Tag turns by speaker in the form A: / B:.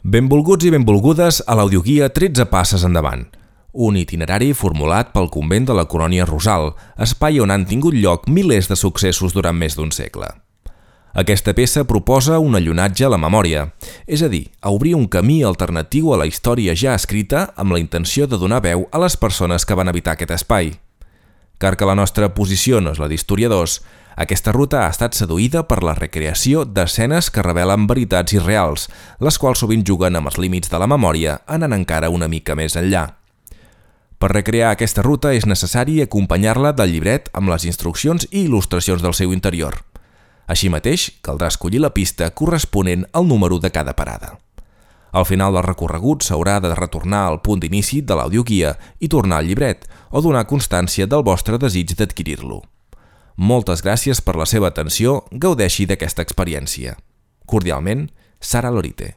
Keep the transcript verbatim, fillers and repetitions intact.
A: Benvolguts i benvolgudes a l'audioguia tretze passes endavant, un itinerari formulat pel convent de la Colònia Rosal, espai on han tingut lloc milers de successos durant més d'un segle. Aquesta peça proposa un allunatge a la memòria, és a dir, a obrir un camí alternatiu a la història ja escrita amb la intenció de donar veu a les persones que van habitar aquest espai. Car que la nostra posició no és la d'historiadors, aquesta ruta ha estat seduïda per la recreació d'escenes que revelen veritats irreals, les quals sovint juguen amb els límits de la memòria, anant encara una mica més enllà. Per recrear aquesta ruta és necessari acompanyar-la del llibret amb les instruccions i il·lustracions del seu interior. Així mateix, caldrà escollir la pista corresponent al número de cada parada. Al final del recorregut s'haurà de retornar al punt d'inici de l'audioguia i tornar al llibret, o donar constància del vostre desig d'adquirir-lo. Moltes gràcies per la seva atenció, gaudeixi d'aquesta experiència. Cordialment, Sara Lorite.